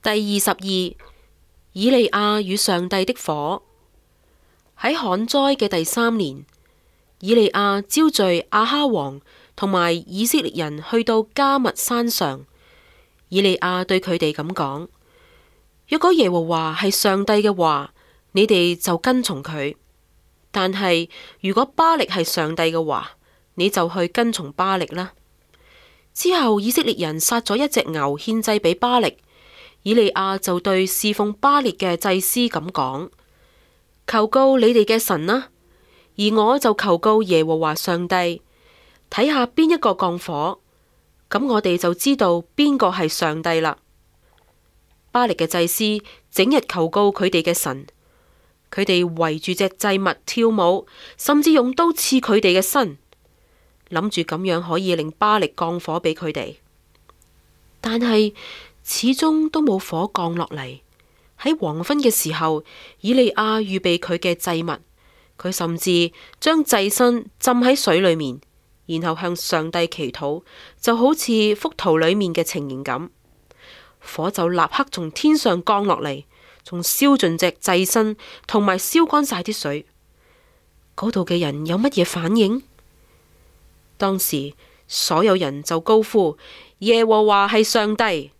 第22，以利亞與上帝的火。喺旱災嘅第3年，以利亞招聚亞哈王同埋以色列人去到迦密山上。以利亞對佢哋咁講：若果耶和華係上帝嘅話，你哋就跟從佢；但係如果巴力係上帝嘅話，你就去跟從巴力啦。之後以色列人殺咗一隻牛獻祭俾巴力，以利亞就對侍奉巴力嘅祭司咁講：求告你哋嘅神啦，而我就求告耶和華上帝，睇下邊一個降火，咁我哋就知道邊個係上帝啦。巴力嘅祭司整日求告佢哋嘅神，佢哋圍住隻祭物跳舞，甚至用刀刺佢哋嘅身，諗住咁樣可以令巴力降火俾佢哋，但係始終都冇火降落嚟。喺黃昏嘅時候，以利亞預備佢嘅祭物，佢甚至將祭身浸喺水裏面，然後向上帝祈禱，就好似幅圖裏面嘅情形咁。火就立刻從天上降落嚟，仲燒盡隻祭身，同埋燒乾晒啲水。嗰度嘅人有乜嘢反應？當時所有人就高呼：耶和華係上帝。